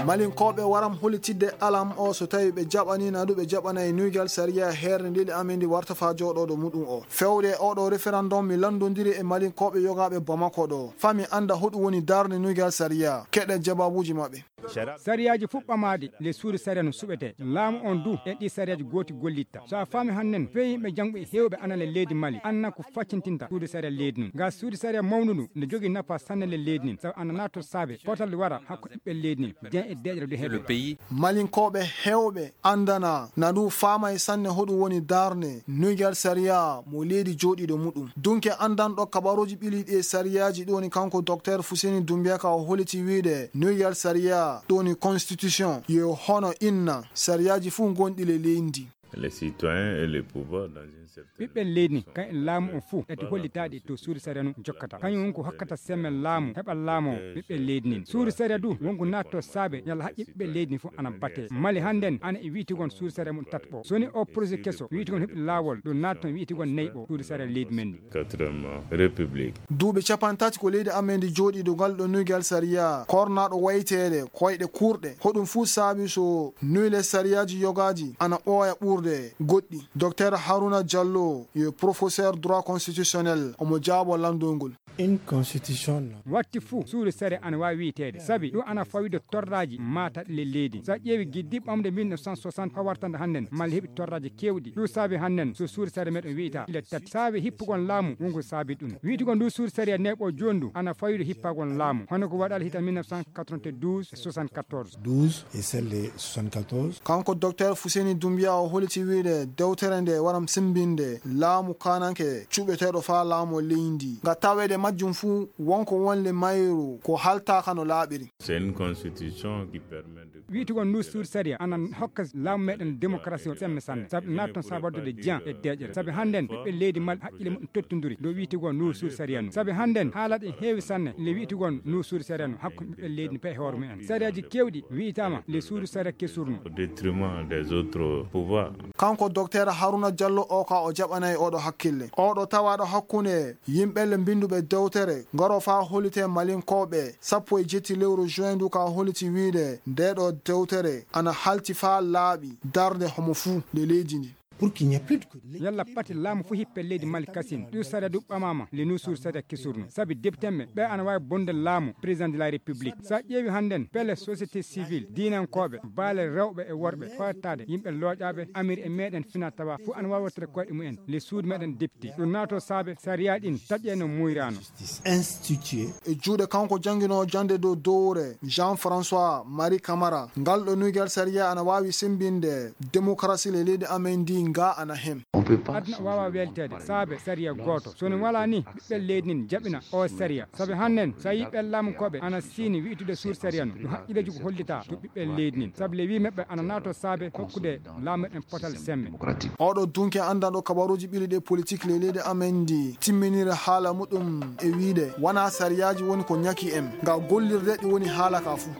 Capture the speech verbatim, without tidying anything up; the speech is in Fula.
Malinkooɓe waram holitidde alam o so tawi ɓe jaɓani naɗu ɓe jaɓanay nuygal sariya heerde leydi amen ndi warta faa jooɗooɗo muɗum o. Fewde e oɗo referendum mi lanndondiri e Malinkooɓe yogaaɓe Bamako ɗo. Faa mi annda hoɗum woni darnde nuygal sariya. Keɗe jabaabuuji maɓɓe. Sariyaaji fof ɓamaaɗi le suudu sariya no suɓetee. Laamu on du e ɗi sariyaaji gooti gollitta. So a faami hannden, fewimɓe janngo e heewɓe ana le leydi Mali, anna ko faccintinta suudu sariya leydi ndin. Nga suudu sariya mawndu ndu, nde jogii nafa sanne le leydi ndin. Sabu ana naatoo saabe potal wara hakko ɓiɓɓe leydi ndin, jen e deeƴere du heɓe. Malinkooɓe heewɓe anndana na du faamay sanne hoɗum woni darnde nuygal sariya mo leydi jooɗiiɗo muɗum. Dunke anndanɗo kabaruuji ɓiliiɗi e sariyaaji ɗo woni kanko Docteur Fuseni Dumbiya ka o holiti wiide nuygal sariya ɗo woni constitution yo hono inna sariyaaji fof gonɗi le leydi ndi. Les citoyens et les pouvoirs dans une certaine ɓiɓɓen leydi ndin, kan e laamu on fof, ɗati hollitaaɗi to suudu sariya no jokkata. Kañum won ko hokkata semmen laamu, heɓa laamu ɓiɓɓen leydi ndin. Suudu sariya du, won ko naatto saabe, yalla haqqe ɓiɓɓen leydi ndin fof ana batee. Mali hannden, ana e wi'itigon suudu sariya mum tatɓo. So woni o projet keso, wi'itigon heɓi laawol, ɗum naatton wi'itigon nayɓo suudu sariya leydi men ndin. Quatrième République. Duuɓi capanɗe tati ko leydi amen ndi jooɗii dow ngal ɗo nuygal sariya, kornaaɗo wayteede, koyɗe kuurɗe. Hoɗum fuu saabi so nuyle sariyaaji yogaaji ana ɓooya ɓurde goɗɗi. Docteur Haruna Diallo yo professeur droit constitutionnel, omo jaabo lanndol ngol. Une constitution, non. Watti fuu, suudu sariya ana waawi wi'iteede. Sabi ɗum ana fawii dow torraaji maataɗi le leydi. So a ƴeewi giddi ɓamde mille neuf cent soixante haa wartande hannden, Mali heɓi torraaji keewɗi. Ɗum saabi hannden, so suudu sariya meɗen wi'ita ile tati. Saabi hippugol laamu, wonko saabi ɗum. Wi'itugol ndu suudu sariya neeɓo jooni ndu, ana fawii dow hippagol laamu. Hono ko waɗal hita mille neuf cent quatre-vingt-douze e soixante-quatorze. Douze et celle de soixante-quatorze. Kanko Docteur Fuseni Dumbiya o holiti wiide dewtere nde waram simbinde laamu kananke cuɓeteeɗo faa laamu leydi. Nga taweede majjum fuu wonko wonle mayru ko haltaaka no laaɓiri. C'est une constitution qui permet de wi'itugol ndu suudu sariya ana hokka laamu meɗen démocratie o semme sanne. Sabi naatton saabi waddude jiyan e deeƴere. Sabi hannden ɓiɓɓe leydi Mali haqqille mum tottunduri dow wi'itugol ndu suudu sariya ndu. Sabi hannden haalaɗe heewi sanne le wi'itugol ndu suudu sariya ndu hakkunde ɓiɓɓe leydi ndi pe hoore mumen. Sariyaaji keewɗi wi'itaama le suudu sariya kesurno. Au détriment des autres pouvoirs. Kanko Docteur Haruna Diallo o ka o jaɓanay oɗo hakkille. Oɗo tawaaɗo hakkunde yimɓe le mbinnduɓe dewtere ngaro faa hollite Malinkooɓe sappo e jetti lewru juin ndu ka holliti wiide ndeeɗo dewtere ana halti faa laaɓi darnde homo fuu nde leydi ndi. Pour qu'il n'y ait plus de yalla pati laamu fof hippe leydi Mali kasin. Ɗum sariya ɗum ɓamaama le nusur sariya kesurno. Sabi deptemɓe ɓe ana waawi bonde laamu président de la république. So a ƴeewi hannden pele société civile, diinankooɓe, baale rewɓe e worɓe, fawtaade yimɓe looƴaaɓe, amir e meɗen fina tawa fof ana waawi wottere koyɗe mumen le suudu meɗen député. Ɗum naato saabe sariya ɗin taƴe no muyrano. Institué. E juuɗe kanko jannginoowo jannde dow dowre Jean François Marie Camara, ngal ɗo nuygal sariya ana waawi sembinde démocratie le leydi amen ndi nga ana hen. Aduna waawa welteede saabe sariya gooto. So ne walaa ni, ɓiɓɓe leydi nin jaɓina o sariya. Sabe hannden, so a yii ɓen laamu koɓe ana siini wi'itude suur sariya no, ɗum haqqilleeji ko hollitaa to ɓiɓɓe leydi nin. Sabu le wi maɓɓe ana naato saabe hokkude laamu en potal semme. Oɗo dunke anndanɗo kabaruuji ɓili ɗe politik le leydi amen ndi timminiri haala muɗum e wiide, wanaa sariyaaji woni ko ñaki en, nga gollirde ɗi woni haala ka fuu.